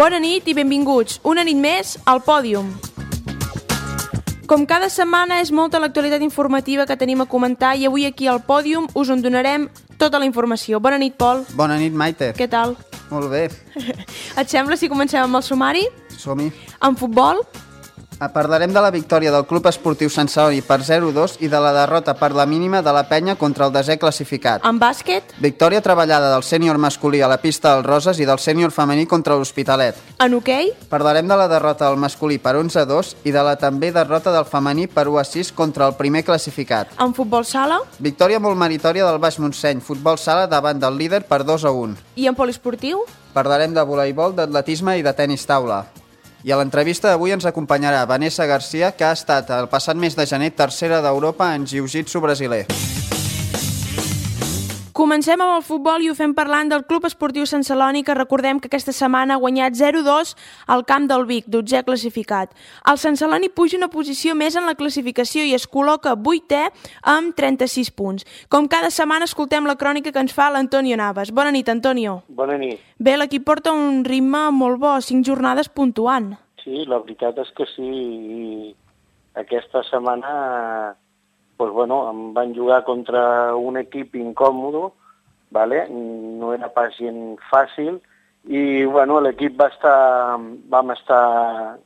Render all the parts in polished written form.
Bona nit i benvinguts, una nit més al Pòdium. Com cada setmana és molta l'actualitat informativa que tenim a comentar i avui aquí al Pòdium us en donarem tota la informació. Bona nit, Pol. Bona nit, Maite. Què tal? Molt bé. Et sembla si comencem amb el sumari? Som-hi. En futbol? Parlarem de la victòria del Club Esportiu Sant Celoni per 0-2 i de la derrota per la mínima de la Penya contra el desè classificat. En bàsquet? Victòria treballada del sènior masculí a la pista del Roses i del sènior femení contra l'Hospitalet. En hoquei? Parlarem de la derrota del masculí per 11-2 i de la també derrota del femení per 1-6 contra el primer classificat. En futbol sala? Victòria molt meritòria del Baix Montseny, futbol sala davant del líder per 2-1. I en poliesportiu? Parlarem de voleibol, d'atletisme i de tenis taula. I a l'entrevista d'avui ens acompanyarà Vanessa Garcia, que ha estat el passat mes de gener tercera d'Europa en jiu-jitsu brasiler. Comencem amb el futbol i ho fem parlant del Club Esportiu Sant Celoni, que recordem que aquesta setmana ha guanyat 0-2 al camp del Vic, 12è classificat. El Sant Celoni puja una posició més en la classificació i es col·loca 8è amb 36 punts. Com cada setmana escoltem la crònica que ens fa l'Antonio Navas. Bona nit, Antonio. Bona nit. Bé, l'equip porta un ritme molt bo, 5 jornades puntuant. Sí, la veritat és que sí. I aquesta setmana em van jugar contra un equip incòmodo, vale? No era pas gens fàcil, i l'equip vam estar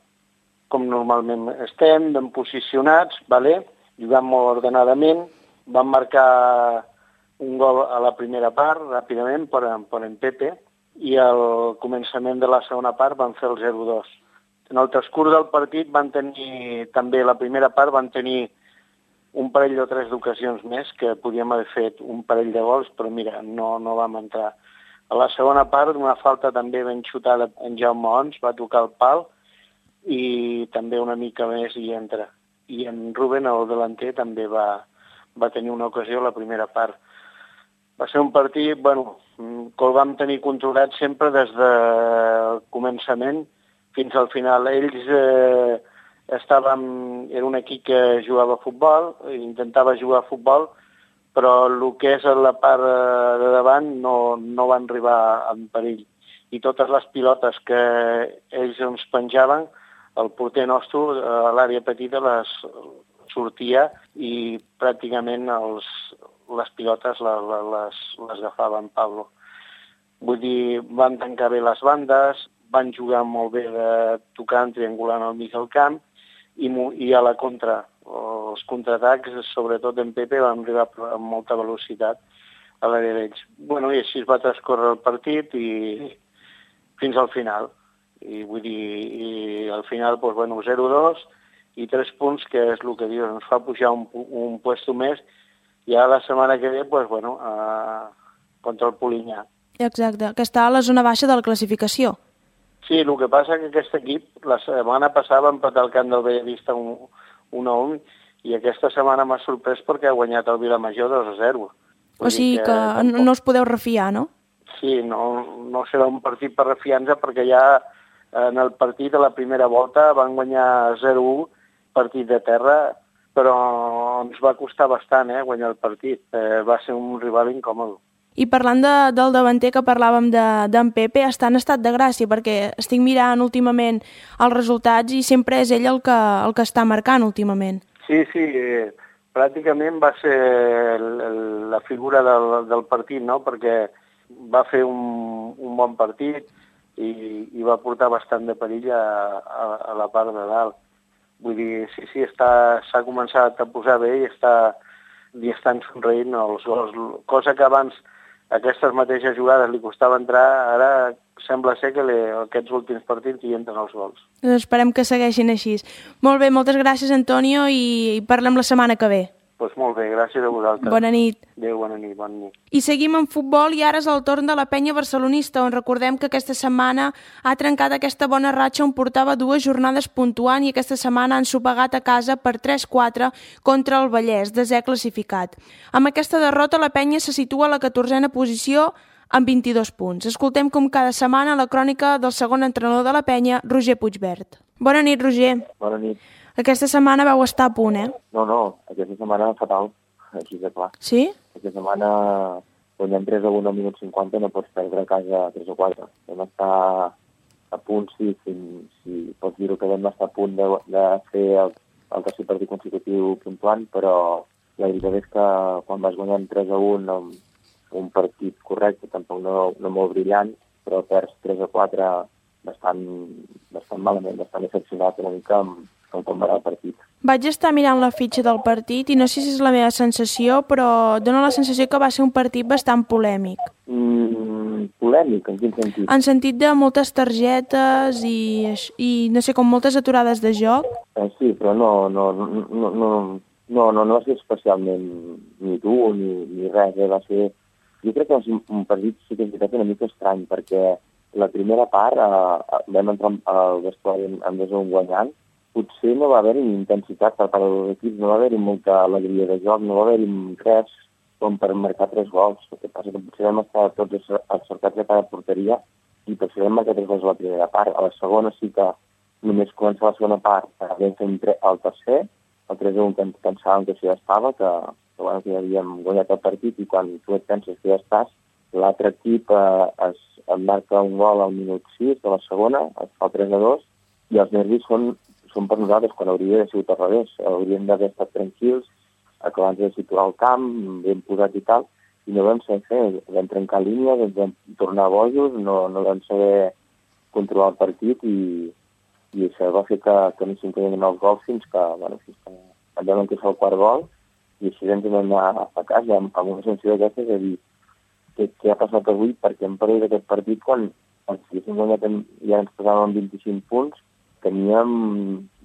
com normalment estem, ben posicionats, vale? Jugant molt ordenadament, vam marcar un gol a la primera part, ràpidament, per en Pepe, i al començament de la segona part van fer el 0-2. En el transcurs del partit també la primera part van tenir un parell o 3 d'ocasions més, que podíem haver fet un parell de gols, però mira, no vam entrar. A la segona part, una falta també ben xutada en Jaume Ons, va tocar el pal, i també una mica més hi entra. I en Rubén, el delanter, també va tenir una ocasió a la primera part. Va ser un partit, que el vam tenir controlat sempre des del començament fins al final. Ells era un equip que jugava a futbol, intentava jugar a futbol, però el que és la part de davant no van arribar en perill. I totes les pilotes que ells ens penjaven, el porter nostre a l'àrea petita les sortia i pràcticament les pilotes les agafava en Pablo. Vull dir, van tancar bé les bandes, van jugar molt bé de tocant, triangulant al mig del camp, i a la contra, els contraatacs, sobretot en Pepe, van arribar amb molta velocitat a l'àrea d'ells. I així es va transcorrer el partit i fins al final. I al final, 0-2 i 3 punts, que és el que dius, ens fa pujar un puesto més, i ara la setmana que ve, contra el Polinyà. Exacte, que està a la zona baixa de la classificació. Sí, el que passa que aquest equip la setmana passada va empatar el camp del Bellavista 1-1 i aquesta setmana m'ha sorprès perquè ha guanyat el Vilamajor 2-0. O sigui que no us podeu refiar, no? Sí, no serà un partit per refiar-nos perquè ja en el partit a la primera volta van guanyar 0-1, partit de terra, però ens va costar bastant guanyar el partit. Va ser un rival incòmode. I parlant del davanter que parlàvem d'en Pepe, està en estat de gràcia, perquè estic mirant últimament els resultats i sempre és ell el que està marcant últimament. Sí, pràcticament va ser la figura del partit, no? Perquè va fer un bon partit i va portar bastant de perill a la part de dalt. Vull dir, sí, s'ha començat a posar bé i estan somreint els gols, cosa que abans aquestes mateixes jugades li costava entrar, ara sembla ser que aquests últims partits hi entren els gols. Esperem que segueixin així. Molt bé, moltes gràcies, Antonio, i parlem la setmana que ve. Doncs molt bé, gràcies a vosaltres. Bona nit. Adéu, bona nit. I seguim amb futbol i ara és el torn de la penya barcelonista, on recordem que aquesta setmana ha trencat aquesta bona ratxa on portava 2 jornades puntuant i aquesta setmana han sopegat a casa per 3-4 contra el Vallès, desè classificat. Amb aquesta derrota la penya se situa a la 14a posició amb 22 punts. Escoltem com cada setmana la crònica del segon entrenador de la penya, Roger Puigvert. Bona nit, Roger. Bona nit. Aquesta setmana vau estar a punt, No, aquesta setmana fatal, així de clar. Sí? Aquesta setmana, guanyant 3-1 al minut 50, no pots perdre a casa 3 o 4. Vam estar a punt, sí, si pots dir-ho que vam estar a punt de fer el tercer partit consecutiu puntuant, però la veritat és que quan vas guanyant 3-1 amb un partit correcte, tampoc no molt brillant, però perds 3-4 bastant malament, bastant decepcionat una mica amb com va el partit. Vaig estar mirant la fitxa del partit i no sé si és la meva sensació, però dóna la sensació que va ser un partit bastant polèmic. Polèmic? En quin sentit? En sentit de moltes targetes i no sé, com moltes aturades de joc. Sí, però no va ser especialment ni dur ni res. Va ser... Jo crec que va ser un partit, sí que és veritat, una mica estrany, perquè la primera part vam entrar al vestuari amb 2-1 guanyant. Potser no va haver-hi intensitat per part dels equips, no va haver-hi molta alegria de joc, no va haver-hi res com per marcar 3 gols. El que passa que potser vam estar tots encertats a cada porteria i potser vam marcar 3 gols a la primera part. A la segona sí que només comença la segona part, vam fer el tercer, el 3-1 que pensàvem que això ja estava, que ja havíem guanyat el partit, i quan tu et penses que ja estàs, l'altre equip es marca un gol al minut 6 de la segona, es fa 3-2, i els nervis són per nosaltres, quan hauria de ser al revés. Hauríem d'haver estat tranquils, acabant de situar el camp, ben posat i tal, i no vam saber fer. Vam trencar línies, vam tornar bojos, no vam saber controlar el partit i això va fer que no s'incloguin els gols fins que vam encaixar el quart gol i així ens vam anar a casa amb una sensació d'aquestes de dir què ha passat avui, perquè hem perdut aquest partit quan si haguéssim guanyat ja ens posàvem amb 25 punts. Teníem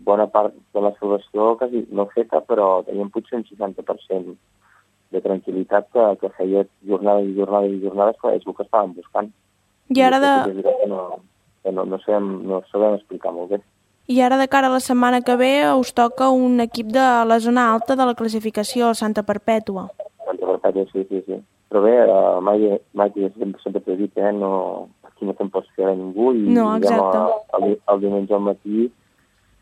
bona part de la salvació quasi no feta, però teníem potser un 60% de tranquil·litat que feia jornada i jornades, que és el que estàvem buscant. I ara no sabem explicar molt bé. I ara de cara a la setmana que ve us toca un equip de la zona alta de la classificació, el Santa Perpètua. Santa Perpètua, sí. Però bé, mai sempre t'he dit, aquí no te'n pots fiar a ningú i no, exacte. El diumenge al matí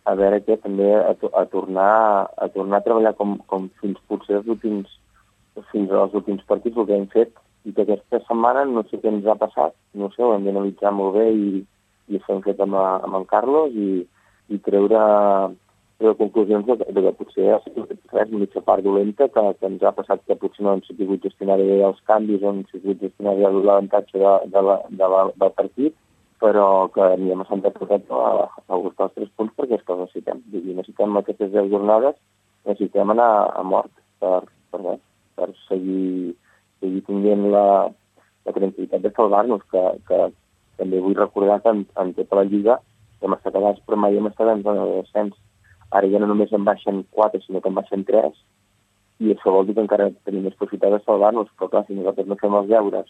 a veure què també a tornar a treballar com fins potser fins als últims partits el que hem fet, i que aquesta setmana no sé què ens ha passat, no sé, ho hem d'analitzar molt bé i això hem fet amb en Carlos i treure conclusions de que potser ha sigut res, mitja part dolenta, que ens ha passat que potser no hem sabut gestionar bé els canvis, no hem sabut gestionar bé l'avantatge del partit, però que anirem a Santa Perpètua a buscar els 3 punts perquè és que els necessitem. Necessitem aquestes 10 jornades, necessitem anar a mort per seguir tinguent la tranquil·litat de salvar-nos, que també vull recordar que en tota la Lliga hem estat allà, però mai hem estat en zona de descens. Ara ja no només en baixen 4, sinó que en baixen 3, i això vol dir que encara tenim més possibilitat de salvar-nos, però clar, si nosaltres no fem els deures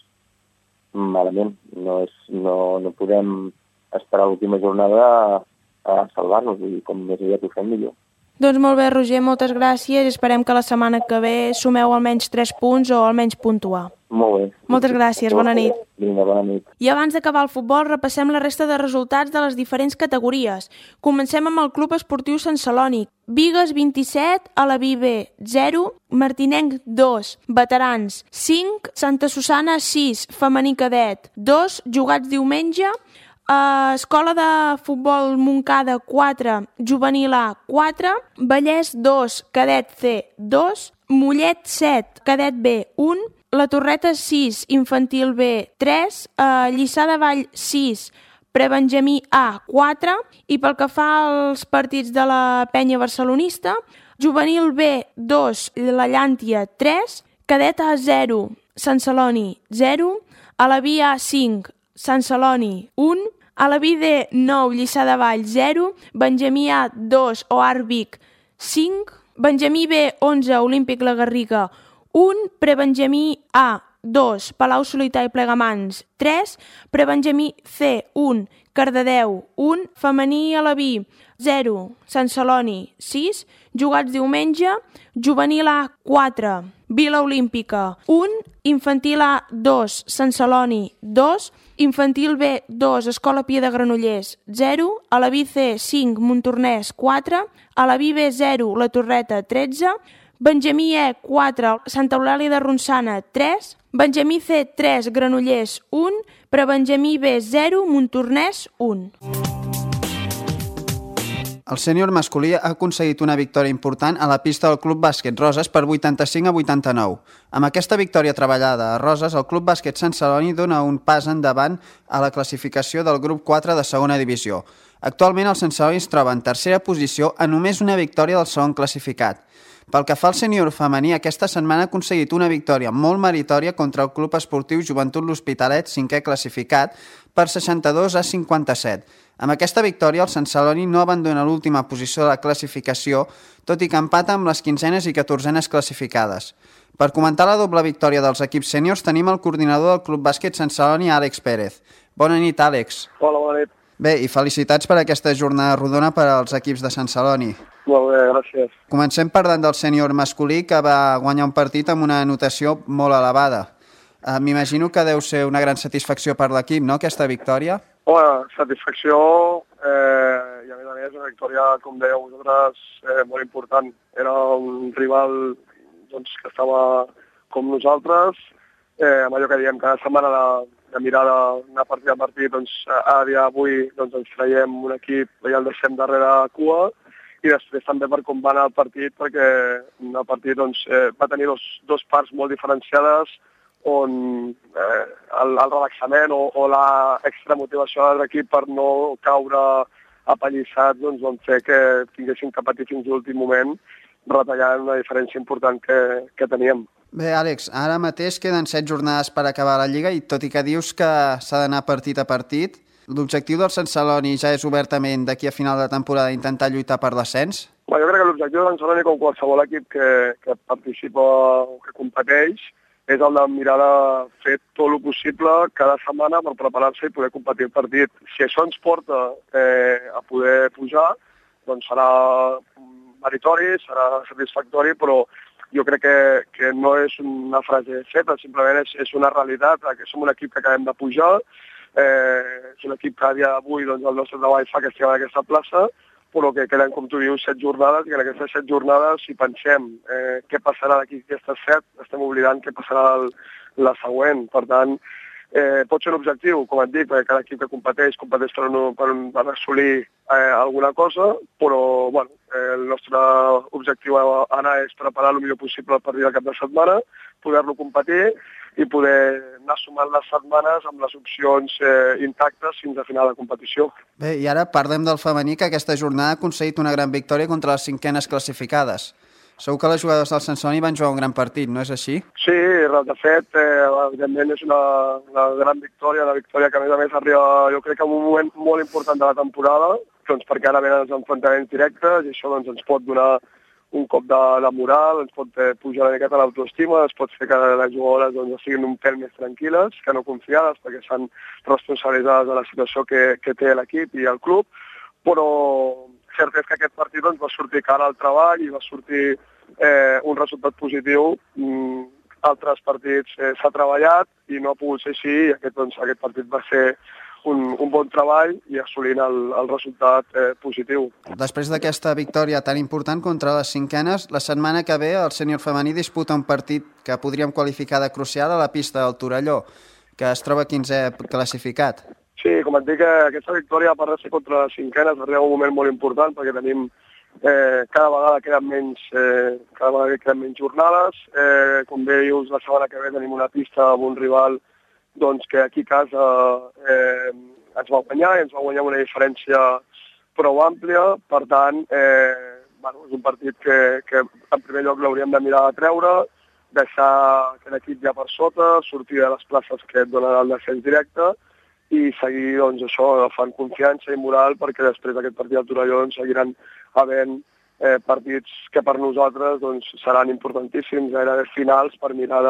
malament, no podem esperar l'última jornada a salvar-nos, i com més aviat ho fem millor. Doncs molt bé, Roger, moltes gràcies, i esperem que la setmana que ve sumeu almenys 3 punts o almenys puntuar. Molt bé. Moltes gràcies, bona nit. Vinga, bona nit. I abans d'acabar el futbol, repassem la resta de resultats de les diferents categories. Comencem amb el Club Esportiu Sant Celoni. Bigues 27, Alaví B 0, Martinenc 2, Veterans 5, Santa Susana 6, Femení Cadet 2, jugats diumenge, Escola de Futbol Montcada 4, Juvenil A 4, Vallès 2, Cadet C 2, Mollet 7, Cadet B 1, La Torreta 6, Infantil B 3, Lliçà de Vall 6, Prebenjamí A 4, i pel que fa als partits de la penya barcelonista, Juvenil B 2, La Llàntia 3, Cadet A 0, Sant Celoni 0, Alaví A 5, Sant Celoni 1, Alaví D 9, Lliçà de Vall 0, Benjamí A 2, Oar Vic 5, Benjamí B 11, Olímpic La Garriga 1, Prebenjamí A 2, Palau Solità i Plegamans 3, Prebenjamí C 1, Cardedeu 1, Femení Alaví 0, Sant Celoni 6, jugats diumenge, Juvenil A 4, Vila Olímpica 1, Infantil A 2, Sant Celoni 2, Infantil B 2, Escola Pia de Granollers 0, Alaví C 5, Montornès 4, Alaví B 0, La Torreta 13, Benjamí E 4, Santa Eulàlia de Ronçana 3, Benjamí C 3, Granollers 1, Prebenjamí B 0, Montornès 1. El sènior masculí ha aconseguit una victòria important a la pista del Club Bàsquet Roses per 85-89. Amb aquesta victòria treballada a Roses, el Club Bàsquet Sant Celoni dona un pas endavant a la classificació del grup 4 de segona divisió. Actualment el Sant Celoni es troba en tercera posició a només una victòria del segon classificat. Pel que fa al sènior femení, aquesta setmana ha aconseguit una victòria molt meritòria contra el Club Esportiu Joventut L'Hospitalet, 5è classificat, per 62-57. Amb aquesta victòria, el Sant Celoni no abandona l'última posició de la classificació, tot i que empata amb les 15enes i 14enes classificades. Per comentar la doble victòria dels equips sèniors, tenim el coordinador del Club Bàsquet Sant Celoni, Àlex Pérez. Bona nit, Àlex. Hola, bona nit. Bé, i felicitats per aquesta jornada rodona per als equips de Sant Celoni. Molt bé, gràcies. Comencem parlant del sènior masculí, que va guanyar un partit amb una anotació molt elevada. M'imagino que deu ser una gran satisfacció per l'equip, no?, aquesta victòria? Bona satisfacció i a més una victòria, com dèieu vosaltres, molt important. Era un rival doncs, que estava com nosaltres, amb allò que diem cada setmana de mirar d'anar partit a partit, doncs a dia d'avui doncs, ens traiem un equip i el deixem darrere cua, i després també per com va anar el partit, perquè el partit doncs, va tenir dos parts molt diferenciades, on el relaxament o la extramotivació de l'equip per no caure apallissats doncs, van fer que tinguéssim que patir fins l'últim moment, retallant una diferència important que teníem. Bé, Àlex, ara mateix queden 7 jornades per acabar la Lliga i tot i que dius que s'ha d'anar partit a partit, l'objectiu del Sant Celoni ja és obertament d'aquí a final de temporada intentar lluitar per l'ascens? Jo crec que l'objectiu del Sant Celoni, com qualsevol equip que participa o que competeix, és el de mirar de fer tot el possible cada setmana per preparar-se i poder competir el partit. Si això ens porta a poder pujar, doncs serà meritori, serà satisfactori, però jo crec que no és una frase feta, simplement és una realitat, que som un equip que acabem de pujar, és un equip que a dia d'avui doncs, el nostre treball fa que estiguem en aquesta plaça, però que queden, com tu dius, 7 jornades, i en aquestes 7 jornades, si pensem què passarà d'aquí aquestes 7, estem oblidant què passarà la següent. Per tant, pot ser un objectiu, com et dic, perquè cada equip que competeix per assolir alguna cosa, però bueno, el nostre objectiu ara és preparar el millor possible el partit del cap de setmana, poder-lo competir i poder anar sumant les setmanes amb les opcions intactes fins a final de competició. Bé, i ara parlem del femení, que aquesta jornada ha aconseguit una gran victòria contra les 5enes classificades. Segur que les jugadores del Sant Celoni van jugar un gran partit, no és així? Sí, de fet, evidentment és una gran victòria, una victòria que a més arriba, jo crec que en un moment molt important de la temporada, doncs perquè ara venen els enfrontaments directes i això doncs, ens pot donar un cop de moral, ens pot pujar una miqueta l'autoestima, ens pot fer que les jugadores doncs, siguin un pèl més tranquil·les, que no confiades, perquè s'han responsabilitzades de la situació que té l'equip i el club, però cert és que aquest partit doncs, va sortir cara al treball i va sortir un resultat positiu. Altres partits s'ha treballat i no ha pogut ser així, i aquest partit va ser un bon treball i assolint el resultat positiu. Després d'aquesta victòria tan important contra les 5enes, la setmana que ve el sènior femení disputa un partit que podríem qualificar de crucial a la pista del Torelló, que es troba 15è classificat. Sí, com et dic, aquesta victòria, a part de ser contra les 5enes, arriba un moment molt important perquè tenim cada vegada queden menys jornades. Com bé dius, la setmana que ve tenim una pista amb un rival doncs que aquí a casa ens va guanyar i ens va guanyar una diferència prou àmplia. Per tant, és un partit que en primer lloc l'hauríem de mirar de treure, deixar que l'equip ja per sota, sortir de les places que et donen el descens directe i seguir doncs, això, agafant confiança i moral, perquè després d'aquest partit del Torelló doncs, seguiran havent partits que per nosaltres doncs, seran importantíssims, gairebé finals per mirar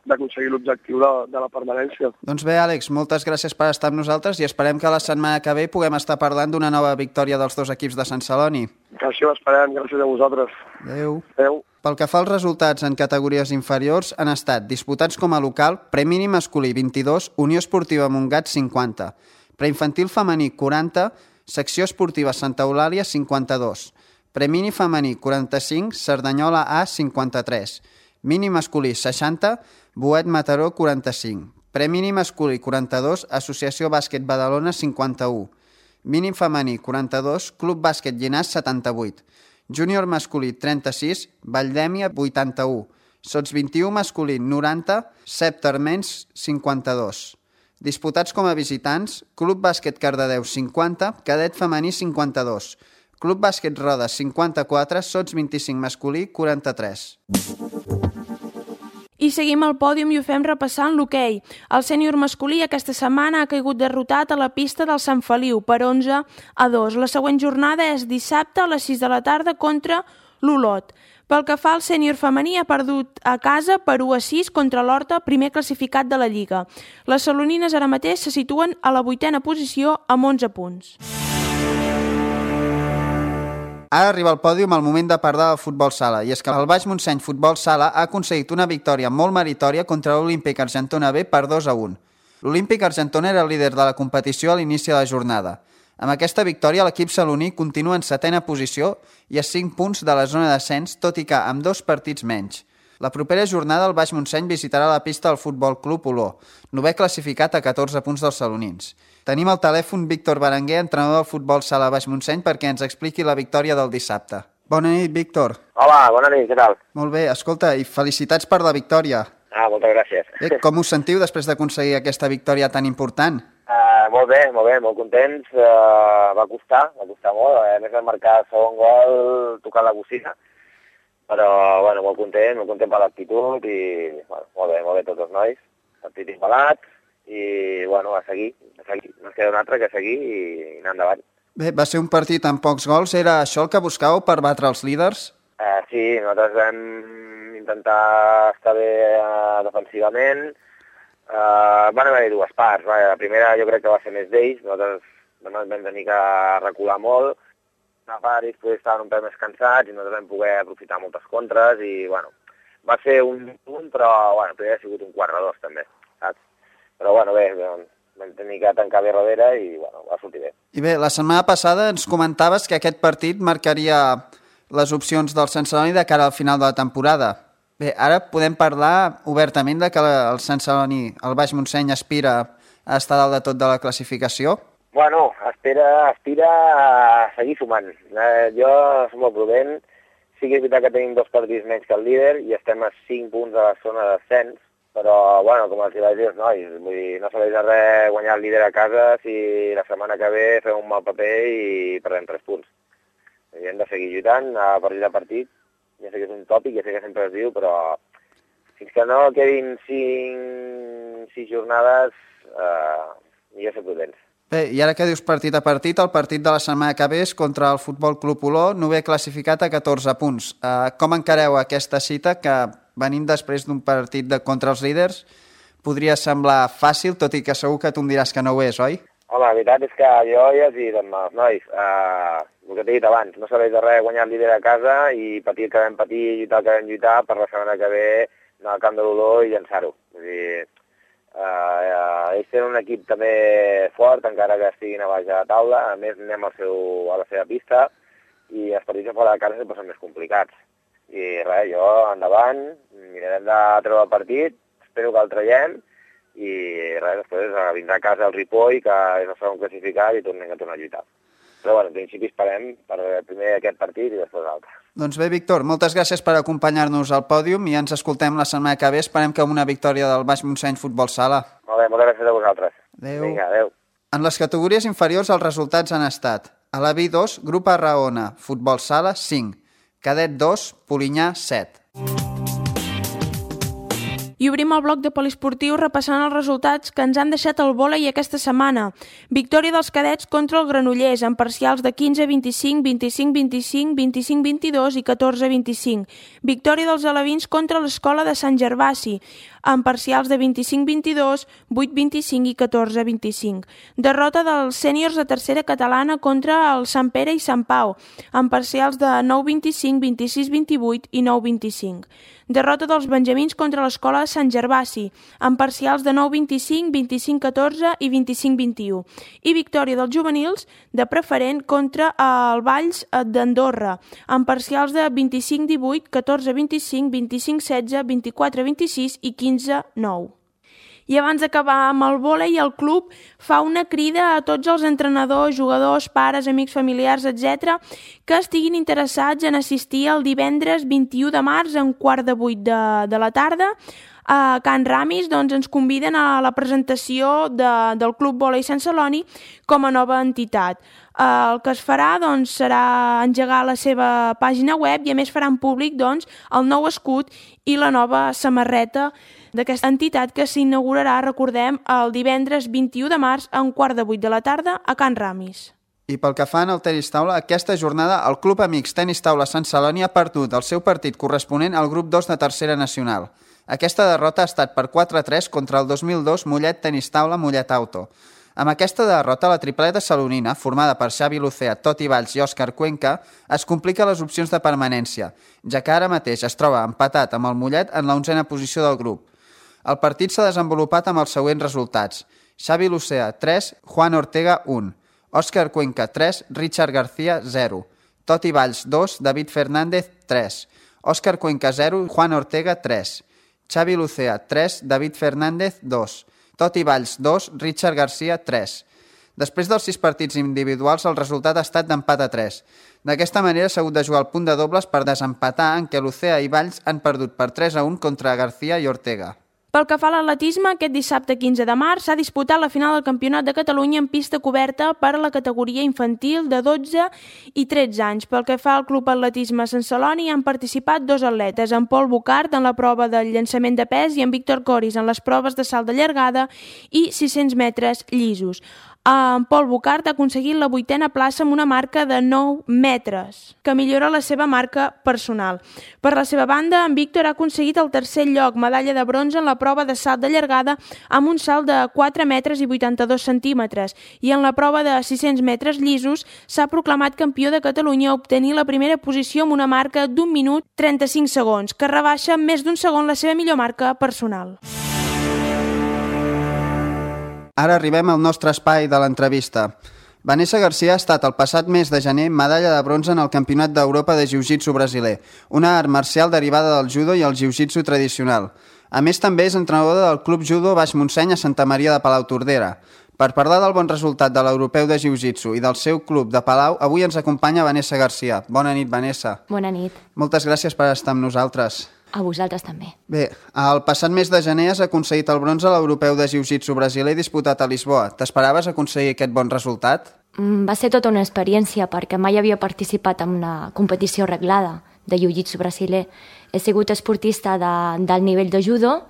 d'aconseguir l'objectiu de la permanència. Doncs bé, Àlex, moltes gràcies per estar amb nosaltres i esperem que la setmana que ve puguem estar parlant d'una nova victòria dels dos equips de Sant Celoni. Que així ho esperem, gràcies a vosaltres. Adéu. Adéu. Pel que fa als resultats en categories inferiors, han estat disputats com a local Premini masculí 22, Unió Esportiva Montgat 50, Preinfantil femení 40, Secció Esportiva Santa Eulàlia 52, Premini femení 45, Cerdanyola A 53, Mini masculí 60, Boet Mataró 45, Premini masculí 42, Associació Bàsquet Badalona 51. Mínim femení 42, Club Bàsquet Llinars 78. Júnior masculí 36, Valldèmia 81. Sots 21 masculí 90, Cep Termenys 52. Disputats com a visitants, Club Bàsquet Cardedeu 50, Cadet femení 52. Club Bàsquet Rodes 54, Sots 25 masculí 43. I seguim al pòdium i ho fem repassant l'hoquei. El sènior masculí aquesta setmana ha caigut derrotat a la pista del Sant Feliu per 11-2. La següent jornada és dissabte a les 6 de la tarda contra l'Olot. Pel que fa al sènior femení, ha perdut a casa per 1-6 contra l'Horta, primer classificat de la Lliga. Les salonines ara mateix se situen a la 8a posició amb 11 punts. Ara arriba al pòdium el moment de parlar del futbol sala, i és que el Baix Montseny Futbol Sala ha aconseguit una victòria molt meritòria contra l'Olímpic Argentona B per 2-1. L'Olímpic Argentona era el líder de la competició a l'inici de la jornada. Amb aquesta victòria, l'equip saloní continua en 7a posició i a 5 punts de la zona d'ascens, tot i que amb 2 partits menys. La propera jornada el Baix Montseny visitarà la pista del Futbol Club Oló, 9è classificat a 14 punts dels salonins. Tenim al telèfon Víctor Berenguer, entrenador del futbol sala Baix Montseny, perquè ens expliqui la victòria del dissabte. Bona nit, Víctor. Hola, bona nit, què tal? Molt bé, escolta, i felicitats per la victòria. Moltes gràcies. Bé, com us sentiu després d'aconseguir aquesta victòria tan important? Molt bé, molt contents. Va costar molt. A més de marcar el segon gol tocant la bocina. Però, bueno, molt content per l'actitud i, bueno, molt bé tots els nois. Partit embalat i, bueno, a seguir. No es queda un altre que seguir i anar endavant. Bé, va ser un partit amb pocs gols. Era això el que buscàveu per batre els líders? Sí, nosaltres vam intentar estar bé defensivament. Van haver-hi dues parts. La primera jo crec que va ser més d'ells. Nosaltres vam tenir que recular molt. Una part ells estaven un peu més cansats i nosaltres vam poder aprofitar moltes contres i, bueno, va ser un punt, però, bueno, podria haver sigut un 4-2 també, saps? Però, bueno, bé, vam tenir que tancar bé darrere i, bueno, va sortir bé. I bé, la setmana passada ens comentaves que aquest partit marcaria les opcions del Sant Celoni de cara al final de la temporada. Bé, ara podem parlar obertament de que el Sant Celoni, el Baix Montseny, aspira a estar dalt de tot de la classificació? Bueno, aspira a seguir sumant. Jo som molt prudent. Sí que és veritat que tenim 2 partits menys que el líder i estem a 5 punts de la zona d'ascens, però, bueno, com els vaig dir els nois, vull dir, no serveix de res guanyar el líder a casa si la setmana que ve fem un mal paper i perdem 3 punts. I hem de seguir lluitant a partit a partit. Ja sé que és un tòpic, ja sé que sempre es diu, però fins que no quedin 6 jornades, millor ser prudents. Bé, i ara que dius partit a partit, el partit de la setmana que ve és contra el Futbol Club Oló, 9è classificat a 14 punts. Com encareu aquesta cita, que venint després d'un partit contra els líders, podria semblar fàcil, tot i que segur que tu em diràs que no ho és, oi? Home, la veritat és que jo ja he dit amb els nois, el que t'he dit abans, no serveix de res guanyar el líder a casa i patir el que vam patir i lluitar el que vam lluitar per la setmana que ve anar al camp de l'Oló i llançar-ho. Vull dir, ells tenen un equip també fort, encara que estiguin a baix de la taula. A més, anem a la seva pista i els partits a fora de casa sempre són més complicats. I res, jo endavant, mirarem de treure el partit, espero que el traiem i res, després vindrà a casa el Ripoll, que és el segon classificat i tornem a tornar a lluitar. Però bueno, en principi esperem per primer aquest partit i després l'altre. Doncs bé, Víctor, moltes gràcies per acompanyar-nos al pòdium i ens escoltem la setmana que ve. Esperem que amb una victòria del Baix Montseny Futbol Sala. Molt bé, moltes gràcies a vosaltres. Adéu. Vinga, adéu. En les categories inferiors els resultats han estat: a la B2, Grup Arraona, Futbol Sala 5, Cadet 2, Polinyà 7. I obrim el bloc de poliesportiu repassant els resultats que ens han deixat el vòlei aquesta setmana. Victòria dels cadets contra el Granollers, amb parcials de 15-25, 25-25, 25-22 i 14-25. Victòria dels alevins contra l'Escola de Sant Gervasi, amb parcials de 25-22, 8-25 i 14-25. Derrota dels sèniors de tercera catalana contra el Sant Pere i Sant Pau, amb parcials de 9-25, 26-28 i 9-25. Derrota dels benjamins contra l'Escola de Sant Gervasi, amb parcials de 9-25, 25-14 i 25-21. I victòria dels juvenils de preferent contra el Valls d'Andorra, amb parcials de 25-18, 14-25, 25-16, 24-26 i 15-9. I abans d'acabar amb el vòlei, el club fa una crida a tots els entrenadors, jugadors, pares, amics, familiars, etc., que estiguin interessats en assistir el divendres 21 de març a 7:15 de la tarda. A Can Ramis ens conviden a la presentació del Club Vòlei Sant Celoni com a nova entitat. El que es farà serà engegar la seva pàgina web i a més faran públic el nou escut i la nova samarreta d'aquesta entitat que s'inaugurarà, recordem, el divendres 21 de març a 7:15 de la tarda a Can Ramis. I pel que fa al tenis taula, aquesta jornada el Club Amics Tenis Taula Sant Celoni ha perdut el seu partit corresponent al grup 2 de tercera nacional. Aquesta derrota ha estat per 4-3 contra el 2002 Mollet Tenis Taula Mollet Auto. Amb aquesta derrota, la tripleta salonina, formada per Xavi Lucea, Toti Valls i Òscar Cuenca, es complica les opcions de permanència, ja que ara mateix es troba empatat amb el Mollet en la 11a posició del grup. El partit s'ha desenvolupat amb els següents resultats. Xavi Lucea, 3, Juan Ortega, 1. Òscar Cuenca, 3, Richard García, 0. Toti Valls, 2, David Fernández, 3. Òscar Cuenca, 0, Juan Ortega, 3. Xavi Lucea, 3, David Fernández, 2. Toti Valls, 2, Richard García, 3. Després dels 6 partits individuals, el resultat ha estat d'empat a 3. D'aquesta manera s'ha hagut de jugar el punt de dobles per desempatar, en què Lucea i Valls han perdut per 3-1 contra García i Ortega. Pel que fa a l'atletisme, aquest dissabte 15 de març s'ha disputat la final del Campionat de Catalunya en pista coberta per a la categoria infantil de 12 i 13 anys. Pel que fa al Club Atletisme Sant Celoni han participat 2 atletes, en Pol Bucart en la prova del llançament de pes i en Víctor Coris en les proves de salt de llargada i 600 metres llisos. En Pol Bucart ha aconseguit la 8a plaça amb una marca de 9 metres, que millora la seva marca personal. Per la seva banda, en Víctor ha aconseguit el 3è lloc, medalla de bronze en la prova de salt de llargada amb un salt de 4 metres i 82 centímetres i en la prova de 600 metres llisos s'ha proclamat campió de Catalunya a obtenir la primera posició amb una marca d'1 minut 35 segons, que rebaixa més d'1 segon la seva millor marca personal. Ara arribem al nostre espai de l'entrevista. Vanessa García ha estat el passat mes de gener medalla de bronze en el Campionat d'Europa de Jiu-Jitsu brasiler, una art marcial derivada del judo i el jiu-jitsu tradicional. A més, també és entrenadora del Club Judo Baix Montseny a Santa Maria de Palautordera. Per parlar del bon resultat de l'Europeu de Jiu-Jitsu i del seu club de Palau, avui ens acompanya Vanessa García. Bona nit, Vanessa. Bona nit. Moltes gràcies per estar amb nosaltres. A vosaltres també. Bé, el passat mes de gener has aconseguit el bronze a l'Europeu de Jiu-Jitsu brasiler disputat a Lisboa. T'esperaves aconseguir aquest bon resultat? Va ser tota una experiència perquè mai havia participat en una competició reglada de Jiu-Jitsu brasiler. He sigut esportista del nivell de judo,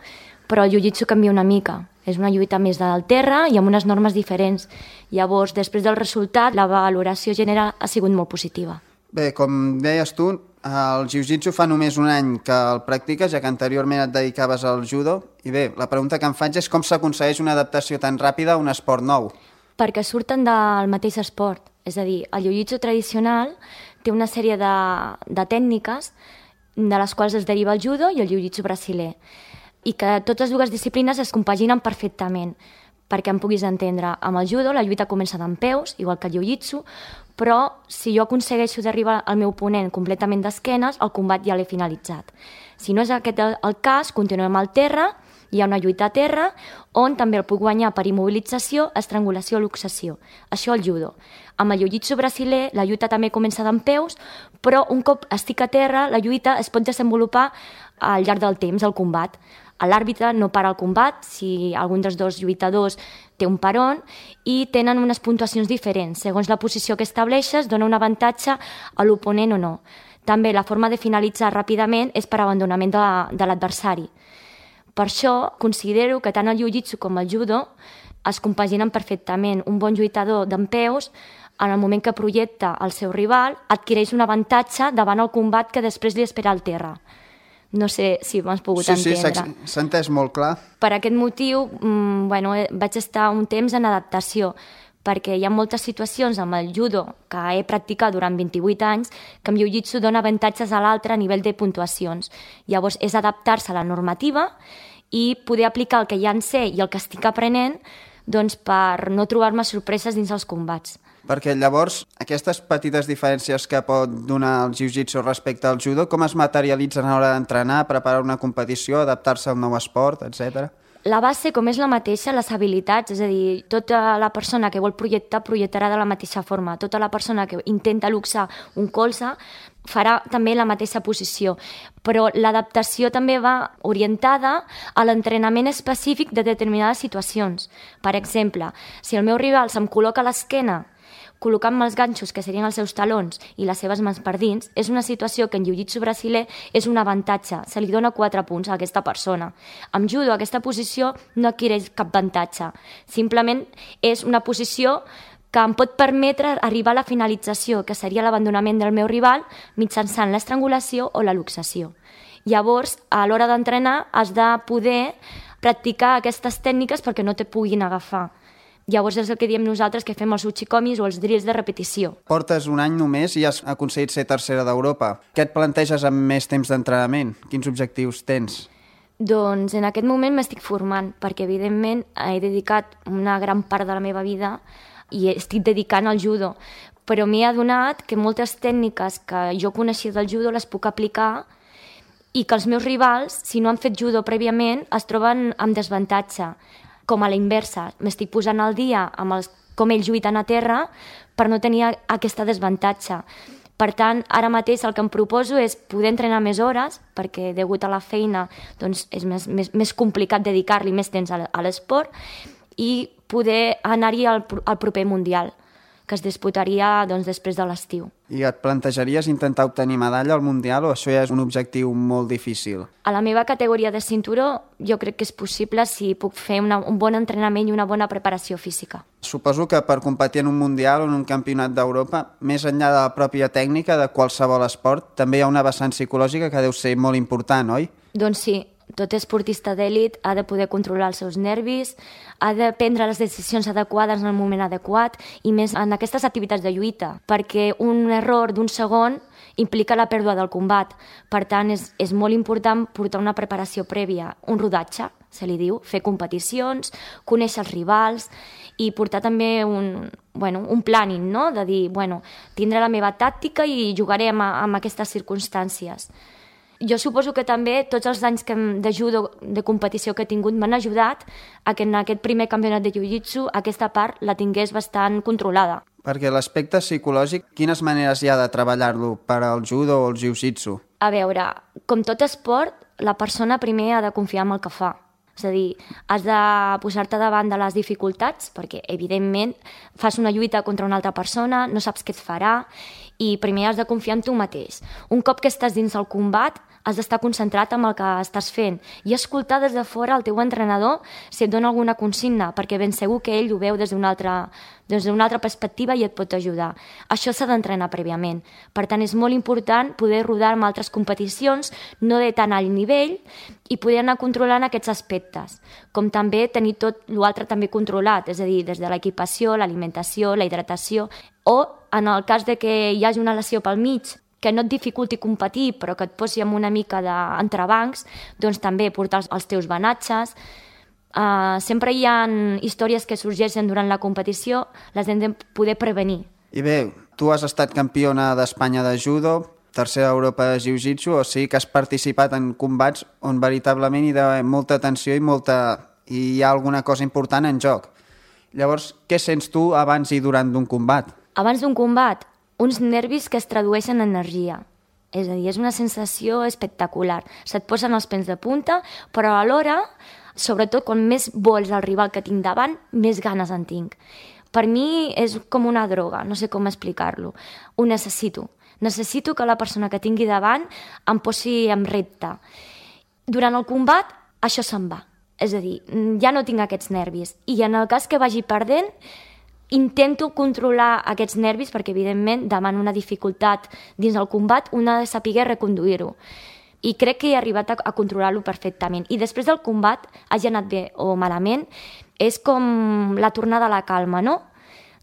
però el Jiu-Jitsu canvia una mica. És una lluita més del terra i amb unes normes diferents. Llavors, després del resultat, la valoració general ha sigut molt positiva. Bé, com deies tu, el jiu-jitsu fa només un any que el practiques, ja que anteriorment et dedicaves al judo. I bé, la pregunta que em faig és com s'aconsegueix una adaptació tan ràpida a un esport nou? Perquè surten del mateix esport. És a dir, el jiu-jitsu tradicional té una sèrie de tècniques de les quals es deriva el judo i el jiu-jitsu brasiler. I que totes dues disciplines es compaginen perfectament. Perquè em puguis entendre, amb el judo la lluita comença dempeus, igual que el jiu-jitsu, però si jo aconsegueixo d'arribar al meu oponent completament d'esquenes, el combat ja l'he finalitzat. Si no és aquest el cas, continuem al terra, hi ha una lluita a terra, on també el puc guanyar per immobilització, estrangulació o luxació. Això el judo. Amb el jiu-jitsu brasiler, la lluita també comença dempeus, però un cop estic a terra, la lluita es pot desenvolupar al llarg del temps, el combat. L'àrbitre no para el combat si algun dels dos lluitadors té un peron i tenen unes puntuacions diferents. Segons la posició que estableixes, dona un avantatge a l'oponent o no. També la forma de finalitzar ràpidament és per abandonament de l'adversari. Per això considero que tant el jiu-jitsu com el judo es compaginen perfectament. Un bon lluitador dempeus, en el moment que projecta el seu rival, adquireix un avantatge davant el combat que després li espera al terra. No sé si m'has pogut entendre. Sí, s'ha entès molt clar. Per aquest motiu, vaig estar un temps en adaptació, perquè hi ha moltes situacions amb el judo que he practicat durant 28 anys que amb jiu-jitsu dona avantatges a l'altre a nivell de puntuacions. Llavors, és adaptar-se a la normativa i poder aplicar el que ja en sé i el que estic aprenent per no trobar-me sorpreses dins els combats. Perquè llavors, aquestes petites diferències que pot donar el jiu-jitsu respecte al judo, com es materialitzen a l'hora d'entrenar, preparar una competició, adaptar-se al nou esport, etc.? La base, com és la mateixa, les habilitats, és a dir, tota la persona que vol projectar, projectarà de la mateixa forma. Tota la persona que intenta luxar un colze farà també la mateixa posició. Però l'adaptació també va orientada a l'entrenament específic de determinades situacions. Per exemple, si el meu rival se'm col·loca a l'esquena col·locant-me els ganxos, que serien els seus talons, i les seves mans per dins, és una situació que en jiu-jitsu brasiler és un avantatge. Se li dona 4 punts a aquesta persona. Amb judo, aquesta posició no adquireix cap avantatge. Simplement és una posició que em pot permetre arribar a la finalització, que seria l'abandonament del meu rival mitjançant l'estrangulació o la luxació. Llavors, a l'hora d'entrenar, has de poder practicar aquestes tècniques perquè no te puguin agafar. Llavors és el que diem nosaltres, que fem els uchikomis o els drills de repetició. Portes un any només i has aconseguit ser tercera d'Europa. Què et planteges amb més temps d'entrenament? Quins objectius tens? Doncs en aquest moment m'estic formant, perquè evidentment he dedicat una gran part de la meva vida i estic dedicant al judo, però m'he adonat que moltes tècniques que jo coneixia del judo les puc aplicar i que els meus rivals, si no han fet judo prèviament, es troben amb desavantatge. Com a la inversa, m'estic posant al dia amb com ells lluiten a terra per no tenir aquesta desavantatge. Per tant, ara mateix el que em proposo és poder entrenar més hores, perquè degut a la feina doncs, és més complicat dedicar-li més temps a l'esport, i poder anar-hi al proper Mundial, que es disputaria doncs, després de l'estiu. I et plantejaries intentar obtenir medalla al Mundial o això ja és un objectiu molt difícil? A la meva categoria de cinturó jo crec que és possible si puc fer un bon entrenament i una bona preparació física. Suposo que per competir en un Mundial o en un campionat d'Europa, més enllà de la pròpia tècnica de qualsevol esport, també hi ha una vessant psicològica que deu ser molt important, oi? Doncs sí. Tot esportista d'èlit ha de poder controlar els seus nervis, ha de prendre les decisions adequades en el moment adequat i més en aquestes activitats de lluita, perquè un error d'un segon implica la pèrdua del combat. Per tant, és molt important portar una preparació prèvia, un rodatge, se li diu, fer competicions, conèixer els rivals i portar també un planning, no? De dir, tindré la meva tàctica i jugaré amb aquestes circumstàncies. Jo suposo que també tots els anys de judo de competició que he tingut m'han ajudat a que en aquest primer campionat de jiu-jitsu aquesta part la tingués bastant controlada. Perquè l'aspecte psicològic, quines maneres hi ha de treballar-lo per al judo o el jiu-jitsu? A veure, com tot esport, la persona primer ha de confiar en el que fa. És a dir, has de posar-te davant de les dificultats perquè, evidentment, fas una lluita contra una altra persona, no saps què et farà i primer has de confiar en tu mateix. Un cop que estàs dins el combat, has d'estar concentrat en el que estàs fent i escoltar des de fora el teu entrenador si et dona alguna consigna, perquè ben segur que ell ho veu des d'una altra perspectiva i et pot ajudar. Això s'ha d'entrenar prèviament. Per tant, és molt important poder rodar amb altres competicions, no de tan alt nivell, i poder anar controlant aquests aspectes, com també tenir tot l'altre també controlat, és a dir, des de l'equipació, l'alimentació, la hidratació, o en el cas de que hi hagi una lesió pel mig, que no et dificulti competir, però que et posi amb una mica d'entrebancs, doncs també portar els teus banatges. Sempre hi ha històries que sorgeixen durant la competició, les hem de poder prevenir. I bé, tu has estat campiona d'Espanya de judo, tercera d'Europa de jiu-jitsu, o sigui que has participat en combats on veritablement hi ha molta tensió i hi ha alguna cosa important en joc. Llavors, què sents tu abans i durant d'un combat? Abans d'un combat, uns nervis que es tradueixen en energia. És a dir, és una sensació espectacular. Se't posen els pèls de punta, però alhora, sobretot quan més vols el rival que tinc davant, més ganes en tinc. Per mi és com una droga, no sé com explicar-lo. Ho necessito. Necessito que la persona que tingui davant em posi en repte. Durant el combat, això se'n va. És a dir, ja no tinc aquests nervis. I en el cas que vagi perdent, intento controlar aquests nervis perquè, evidentment, davant una dificultat dins el combat, una ha de saber reconduir-ho. I crec que he arribat a controlar-lo perfectament. I després del combat, hagi anat bé o malament, és com la tornada a la calma, no?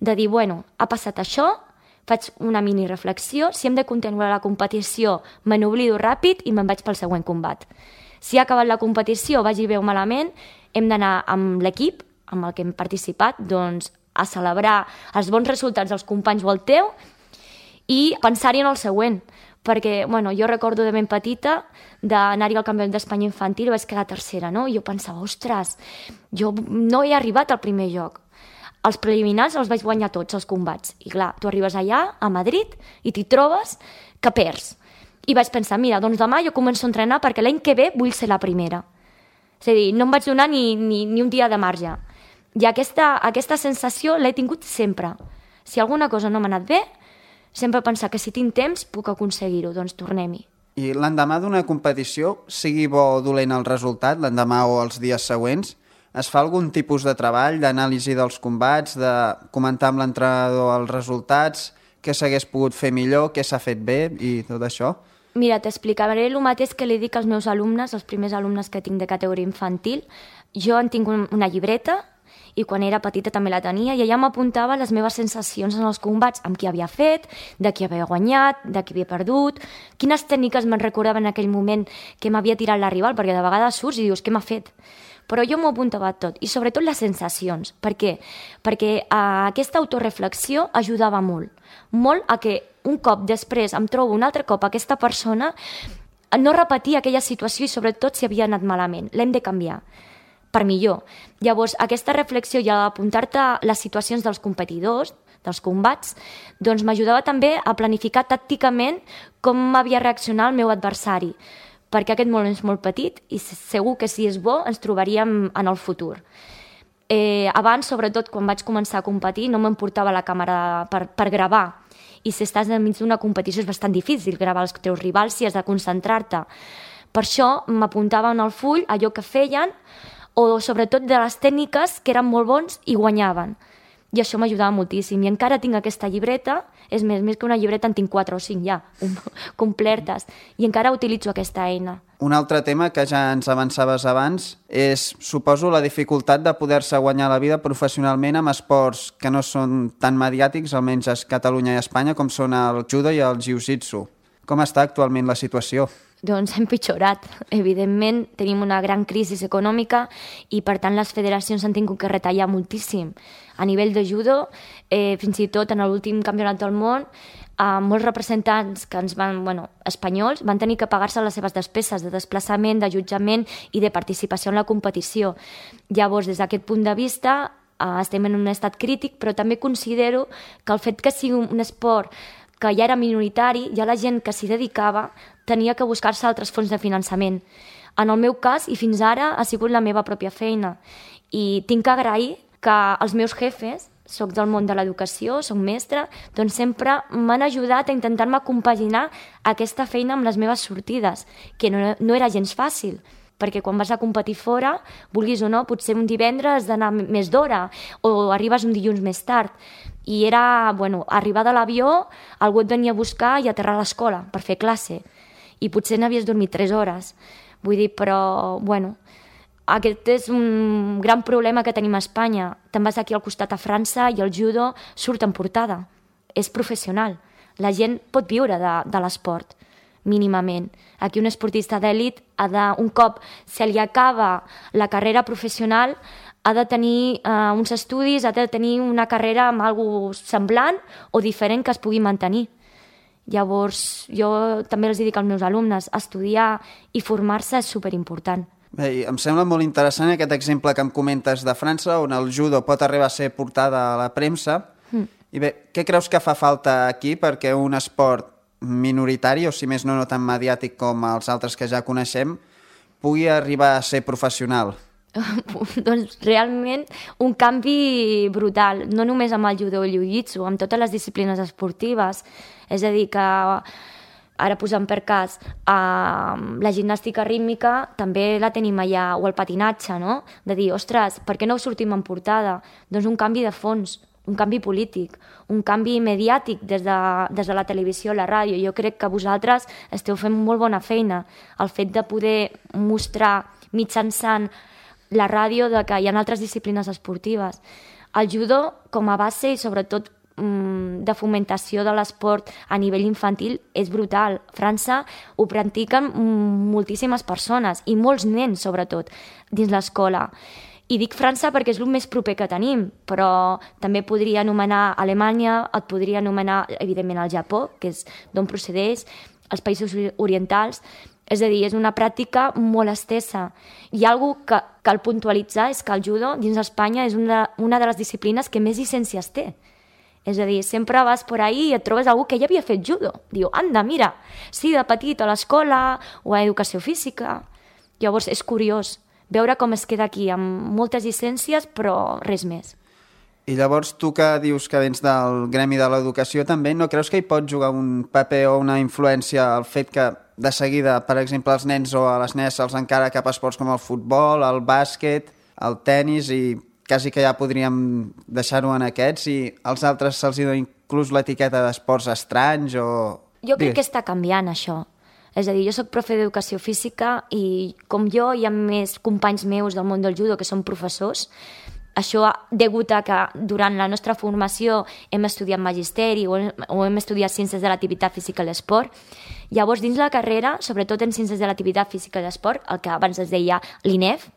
De dir, ha passat això, faig una mini reflexió, si hem de continuar la competició, me n'oblido ràpid i me'n vaig pel següent combat. Si ha acabat la competició, vagi bé o malament, hem d'anar amb l'equip, amb el que hem participat, doncs, a celebrar els bons resultats dels companys o el teu i pensar-hi en el següent, perquè jo recordo de ben petita d'anar-hi al Campionat d'Espanya infantil i vaig quedar tercera, no? I jo pensava, ostres, jo no he arribat al primer lloc. Els preliminars els vaig guanyar tots, els combats. I clar, tu arribes allà, a Madrid, i t'hi trobes que perds. I vaig pensar, mira, doncs demà jo començo a entrenar perquè l'any que ve vull ser la primera. És a dir, no em vaig donar ni un dia de marge. I aquesta sensació l'he tingut sempre. Si alguna cosa no m'ha anat bé, sempre pensar que si tinc temps puc aconseguir-ho, doncs tornem-hi. I l'endemà d'una competició, sigui bo o dolent el resultat, l'endemà o els dies següents, es fa algun tipus de treball, d'anàlisi dels combats, de comentar amb l'entrenador els resultats, què s'hagués pogut fer millor, què s'ha fet bé i tot això? Mira, t'explicaré el mateix que li dic als meus alumnes, els primers alumnes que tinc de categoria infantil. Jo en tinc una llibreta, i quan era petita també la tenia, i allà m'apuntava les meves sensacions en els combats, amb qui havia fet, de qui havia guanyat, de qui havia perdut, quines tècniques me'n recordava en aquell moment que m'havia tirat la rival, perquè de vegades surts i dius, què m'ha fet? Però jo m'ho apuntava tot, i sobretot les sensacions. Per què? Perquè aquesta autoreflexió ajudava molt a que un cop després em trobo un altre cop aquesta persona, no repetir aquella situació i sobretot si havia anat malament. L'hem de canviar per millor. Llavors, aquesta reflexió i apuntar-te les situacions dels competidors, dels combats, doncs m'ajudava també a planificar tàcticament com havia reaccionat el meu adversari, perquè aquest món és molt petit i segur que si és bo ens trobaríem en el futur. Abans, sobretot quan vaig començar a competir, no m'emportava la càmera per gravar, i si estàs enmig d'una competició és bastant difícil gravar els teus rivals si has de concentrar-te. Per això m'apuntava en el full allò que feien, o sobretot de les tècniques que eren molt bons i guanyaven. I això m'ajudava moltíssim. I encara tinc aquesta llibreta, és més que una llibreta en tinc 4 o 5 ja, completes, i encara utilitzo aquesta eina. Un altre tema que ja ens avançaves abans és, suposo, la dificultat de poder-se guanyar la vida professionalment amb esports que no són tan mediàtics, almenys a Catalunya i Espanya, com són el judo i el jiu-jitsu. Com està actualment la situació? Doncs hem empitjorat. Evidentment, tenim una gran crisi econòmica i, per tant, les federacions han tingut que retallar moltíssim. A nivell de judo, fins i tot en l'últim campionat del món, molts representants que espanyols van tenir que pagar-se les seves despeses de desplaçament, d'allotjament i de participació en la competició. Llavors, des d'aquest punt de vista, estem en un estat crític, però també considero que el fet que sigui un esport que ja era minoritari, ja la gent que s'hi dedicava tenia que buscar-se altres fonts de finançament. En el meu cas, i fins ara, ha sigut la meva pròpia feina. I tinc que agrair que els meus jefes, soc del món de l'educació, soc mestra, doncs sempre m'han ajudat a intentar-me compaginar aquesta feina amb les meves sortides, que no era gens fàcil, perquè quan vas a competir fora, vulguis o no, potser un divendres has d'anar més d'hora o arribes un dilluns més tard. I era, arribar de l'avió, algú et venia a buscar i aterrar a l'escola per fer classe. I potser n'havies dormit 3 hores. Vull dir, però, aquest és un gran problema que tenim a Espanya. Te'n vas aquí al costat a França i el judo surt en portada. És professional. La gent pot viure de l'esport, mínimament. Aquí un esportista d'èlit un cop se li acaba la carrera professional, ha de tenir uns estudis, ha de tenir una carrera amb alguna cosa semblant o diferent que es pugui mantenir. Llavors, jo també els dic als meus alumnes, estudiar i formar-se és superimportant. Bé, em sembla molt interessant aquest exemple que em comentes de França, on el judo pot arribar a ser portada a la premsa. I bé, què creus que fa falta aquí perquè un esport minoritari, o si més no tan mediàtic com els altres que ja coneixem, pugui arribar a ser professional? Doncs realment un canvi brutal, no només amb el judo o el jiu-jitsu, amb totes les disciplines esportives. És a dir, que ara posant per cas la gimnàstica rítmica també la tenim allà, o el patinatge, no? De dir, ostres, per què no sortim en portada? Doncs un canvi de fons, un canvi polític, un canvi mediàtic des de la televisió, la ràdio. Jo crec que vosaltres esteu fent molt bona feina. El fet de poder mostrar mitjançant la ràdio que hi ha altres disciplines esportives. El judo, com a base i sobretot de fomentació de l'esport a nivell infantil, és brutal. A França ho practiquen moltíssimes persones i molts nens, sobretot, dins l'escola. I dic França perquè és el més proper que tenim, però també podria anomenar Alemanya, et podria anomenar, evidentment, el Japó, que és d'on procedeix, als països orientals. És a dir, és una pràctica molt estesa. I una cosa que cal puntualitzar és que el judo dins d'Espanya és una de les disciplines que més llicències té. És a dir, sempre vas por ahí i et trobes algú que ja havia fet judo. Diu, anda, mira, sí, de petit a l'escola o a educació física. Llavors és curiós veure com es queda aquí, amb moltes llicències, però res més. I llavors tu que dius que vens del gremi de l'educació també, no creus que hi pot jugar un paper o una influència el fet que de seguida, per exemple, als nens o a les nenes se'ls encara cap a esports com el futbol, el bàsquet, el tennis i quasi que ja podríem deixar-ho en aquests i als altres se'ls dona inclús l'etiqueta d'esports estranys o... Jo crec que està canviant això. És a dir, jo soc profe d'educació física i com jo hi ha més companys meus del món del judo que són professors. Això degut a que durant la nostra formació hem estudiat magisteri o hem estudiat ciències de l'activitat física i l'esport. Llavors, dins la carrera, sobretot en ciències de l'activitat física i l'esport, el que abans es deia l'INEF,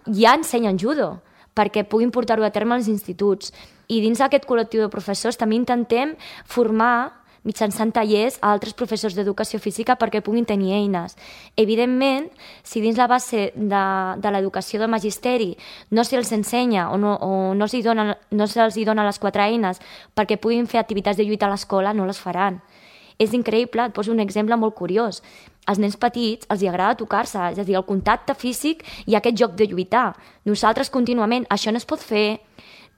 ja ensenyen judo perquè puguin portar-ho a terme als instituts. I dins d'aquest col·lectiu de professors també intentem formar mitjançant tallers a altres professors d'educació física perquè puguin tenir eines. Evidentment, si dins la base de l'educació del magisteri no se'ls ensenya o no se'ls dona les 4 eines perquè puguin fer activitats de lluita a l'escola, no les faran. És increïble, et poso un exemple molt curiós. Als nens petits els agrada tocar-se, és a dir, el contacte físic i aquest joc de lluitar. Nosaltres contínuament, això no es pot fer,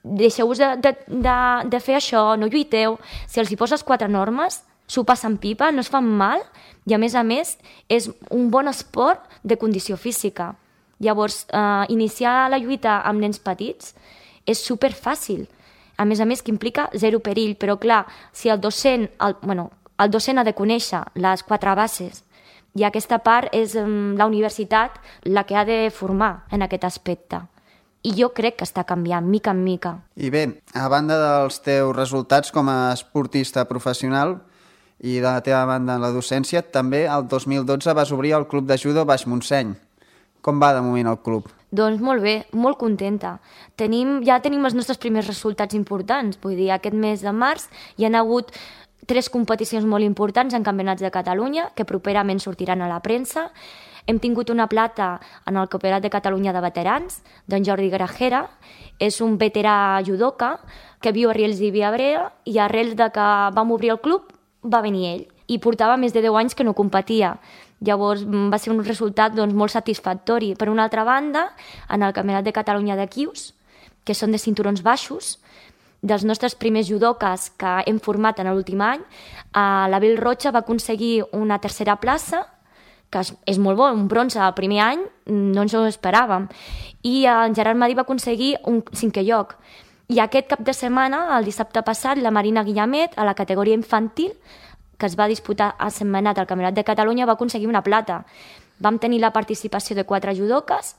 deixeu-vos de fer això, no lluiteu. Si els hi poses 4 normes, s'ho passen pipa, no es fan mal i a més és un bon esport de condició física. Llavors, iniciar la lluita amb nens petits és superfàcil. A més, que implica 0 perill, però clar, si el docent ha de conèixer les 4 bases i aquesta part és la universitat la que ha de formar en aquest aspecte. I jo crec que està canviant, mica en mica. I bé, a banda dels teus resultats com a esportista professional i de la teva banda en la docència, també el 2012 vas obrir el Club de Judo Baix Montseny. Com va de moment el club? Doncs molt bé, molt contenta. Ja tenim els nostres primers resultats importants. Vull dir, aquest mes de març hi ha hagut 3 competicions molt importants en campionats de Catalunya que properament sortiran a la premsa. Hem tingut una plata en el Campionat de Catalunya de veterans, d'en Jordi Grajera. És un veterà judoka que viu a Riells i Viabrea i arrel de que vam obrir el club va venir ell. I portava més de 10 anys que no competia. Llavors va ser un resultat molt satisfactori. Per una altra banda, en el Campionat de Catalunya de Quius, que són de cinturons baixos, dels nostres primers judokas que hem format en l'últim any, l'Abel Rocha va aconseguir una 3a plaça, que és molt bo, un bronze el primer any, no ens ho esperàvem. I en Gerard Madí va aconseguir un 5è lloc. I aquest cap de setmana, el dissabte passat, la Marina Guillamet, a la categoria infantil, que es va disputar a Sentmenat al Campionat de Catalunya, va aconseguir una plata. Vam tenir la participació de 4 judoques,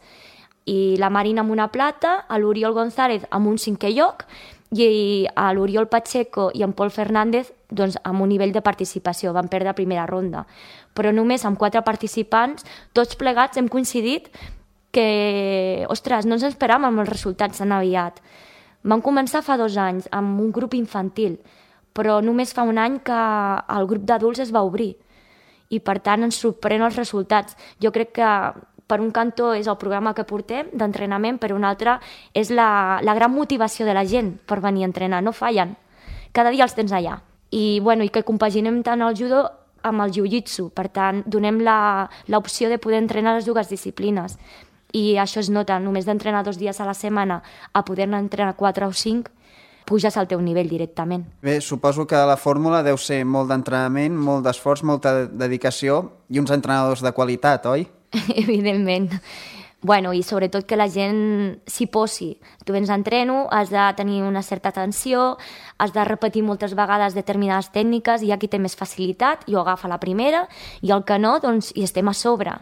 i la Marina amb una plata, l'Oriol González amb un 5è lloc, i l'Oriol Pacheco i en Pol Fernández amb un nivell de participació. Van perdre la primera ronda. Però només amb 4 participants, tots plegats hem coincidit que, ostres, no ens esperàvem amb els resultats tan aviat. Vam començar fa 2 anys amb un grup infantil, però només fa 1 any que el grup d'adults es va obrir. I per tant ens sorprèn els resultats. Jo crec que per un cantó és el programa que portem d'entrenament, per un altre és la gran motivació de la gent per venir a entrenar, no fallen. Cada dia els tens allà. I que compaginem tant el judo amb el jiu-jitsu, per tant donem l'opció de poder entrenar les 2 disciplines. I això es nota, només d'entrenar 2 dies a la setmana a poder-ne entrenar 4 o 5, puges al teu nivell directament. Bé, suposo que la fórmula deu ser molt d'entrenament, molt d'esforç, molta dedicació i uns entrenadors de qualitat, oi? Evidentment. I sobretot que la gent s'hi posi. Tu vens a entreno, has de tenir una certa atenció, has de repetir moltes vegades determinades tècniques, i hi ha qui té més facilitat i ho agafa la primera, i el que no, hi estem a sobre.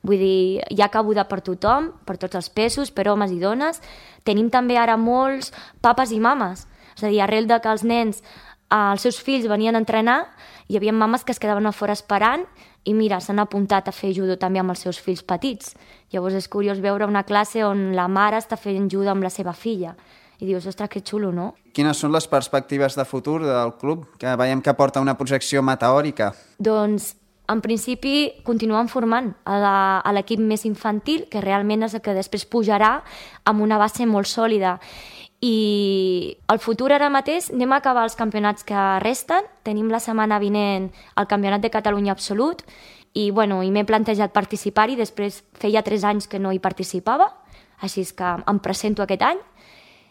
Vull dir, hi ha cabuda per tothom, per tots els pesos, per homes i dones. Tenim també ara molts papes i mames. És a dir, arrel de que els nens, els seus fills venien a entrenar, hi havia mames que es quedaven a fora esperant i mira, s'han apuntat a fer judo també amb els seus fills petits. Llavors és curiós veure una classe on la mare està fent judo amb la seva filla. I dius, ostres, que xulo, no? Quines són les perspectives de futur del club? Que veiem que porta una projecció meteòrica. Doncs, en principi, continuem formant a l'equip més infantil, que realment és el que després pujarà amb una base molt sòlida. I el futur ara mateix anem a acabar els campionats que resten. Tenim la setmana vinent el Campionat de Catalunya Absolut i m'he plantejat participar-hi. Després feia 3 anys que no hi participava, així és que em presento aquest any.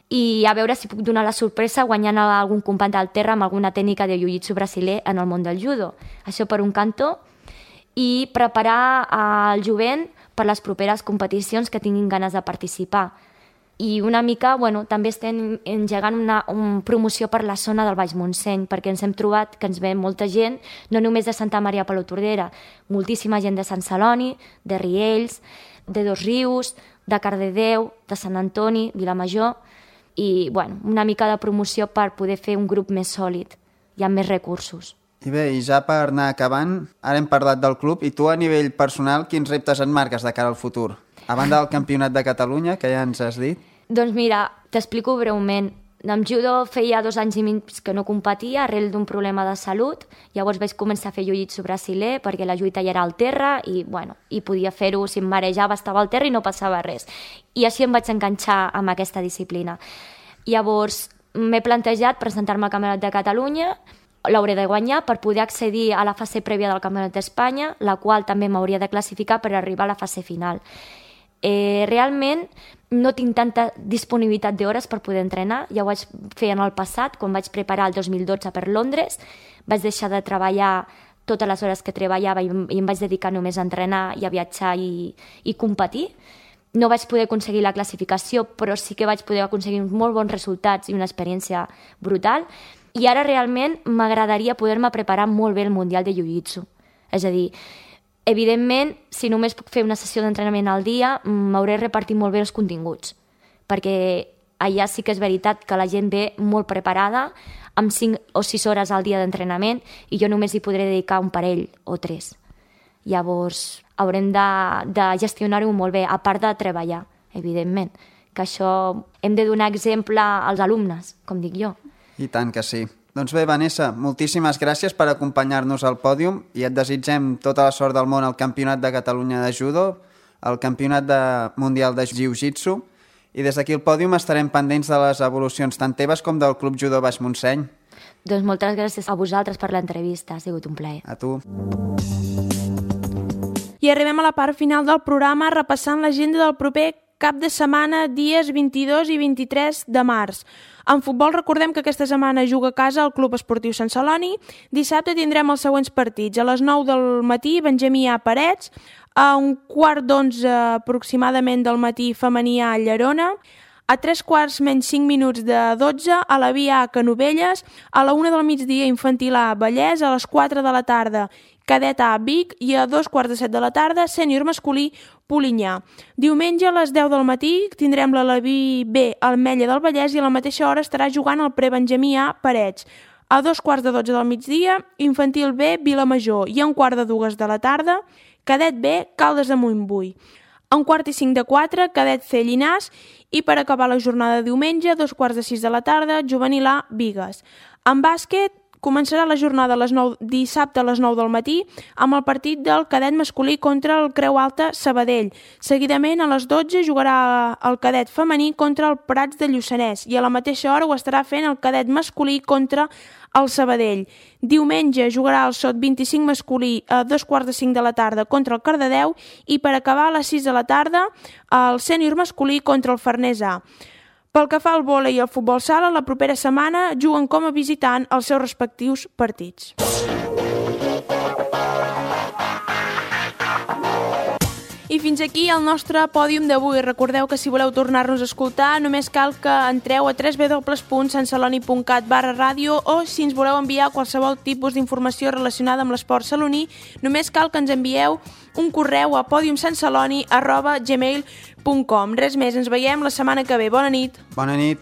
I a veure si puc donar la sorpresa guanyant algun company del terra amb alguna tècnica de jiu-jitsu brasiler en el món del judo. Això per un cantó. I preparar el jovent per les properes competicions que tinguin ganes de participar. I una mica, també estem engegant una promoció per la zona del Baix Montseny, perquè ens hem trobat que ens ve molta gent, no només de Santa Maria Palautordera, moltíssima gent de Sant Celoni, de Riells, de Dosrius, de Cardedeu, de Sant Antoni, Vilamajor, i una mica de promoció per poder fer un grup més sòlid i amb més recursos. I bé, i ja per anar acabant, ara hem parlat del club, i tu a nivell personal, quins reptes et marques de cara al futur? A banda del Campionat de Catalunya, que ja ens has dit. Doncs mira, t'explico breument. Amb judo feia 2 anys i mig que no competia arrel d'un problema de salut. Llavors vaig començar a fer jiu-jitsu brasiler perquè la lluita ja era al terra i podia fer-ho, si em marejava estava al terra i no passava res. I així em vaig enganxar amb aquesta disciplina. Llavors m'he plantejat presentar-me al Campionat de Catalunya, l'hauré de guanyar per poder accedir a la fase prèvia del Campionat d'Espanya, la qual també m'hauria de classificar per arribar a la fase final. Realment no tinc tanta disponibilitat d'hores per poder entrenar, ja ho vaig fer en el passat, quan vaig preparar el 2012 per Londres, vaig deixar de treballar totes les hores que treballava i em vaig dedicar només a entrenar i a viatjar i competir. No vaig poder aconseguir la classificació, però sí que vaig poder aconseguir molt bons resultats i una experiència brutal. I ara realment m'agradaria poder-me preparar molt bé el Mundial de Jiu-Jitsu. És a dir, evidentment, si només puc fer una sessió d'entrenament al dia, m'hauré repartit molt bé els continguts, perquè allà sí que és veritat que la gent ve molt preparada, amb 5 o 6 hores al dia d'entrenament, i jo només hi podré dedicar un parell o 3. Llavors, haurem de gestionar-ho molt bé, a part de treballar, evidentment, que això hem de donar exemple als alumnes, com dic jo. I tant que sí. Doncs bé, Vanessa, moltíssimes gràcies per acompanyar-nos al pòdium i et desitgem tota la sort del món al Campionat de Catalunya de Judo, al Campionat Mundial de Jiu-Jitsu, i des d'aquí al pòdium estarem pendents de les evolucions tant teves com del Club Judo Baix Montseny. Doncs moltes gràcies a vosaltres per l'entrevista, ha sigut un plaer. A tu. I arribem a la part final del programa repassant l'agenda del proper cap de setmana, dies 22 i 23 de març. En futbol recordem que aquesta setmana juga a casa el Club Esportiu Sant Celoni. Dissabte tindrem els següents partits. A les 9 del matí, Benjamí A. Parets. A 11:15 aproximadament del matí, Femení A. Llerona. A 3:45 de 12, a la Via A. Canovelles. A la 1 del migdia, Infantil A. Vallès. A les 4 de la tarda, Cadet A. Vic. I a 2:45 de la tarda, Sènior Masculí, Polinyà. Diumenge a les 10 del matí tindrem la Leví B al Mella del Vallès i a la mateixa hora estarà jugant el Prebenjamí A Parets. A 2:15 del migdia, Infantil B Vilamajor i a 1:45 de la tarda, Cadet B Caldes de Montbui. A 1:45 Cadet C Llinars i per acabar la jornada de diumenge, a 2:45 de la tarda, Juvenil A Bigues. En bàsquet, començarà la jornada dissabte a les 9 del matí amb el partit del cadet masculí contra el Creu Alta Sabadell. Seguidament, a les 12 jugarà el cadet femení contra el Prats de Lluçanès i a la mateixa hora ho estarà fent el cadet masculí contra el Sabadell. Diumenge jugarà el SOT 25 masculí a 2:45 de la tarda contra el Cardedeu i per acabar a les 6 de la tarda el sènior masculí contra el Farners A. Pel que fa al vòlei i al futbol sala, la propera setmana juguen com a visitant els seus respectius partits. I fins aquí el nostre pòdium d'avui. Recordeu que si voleu tornar-nos a escoltar només cal que entreu a www.santceloni.cat/ràdio o si ens voleu enviar qualsevol tipus d'informació relacionada amb l'esport saloní, només cal que ens envieu un correu a podiumsantceloni@gmail.com. Res més, ens veiem la setmana que ve. Bona nit. Bona nit.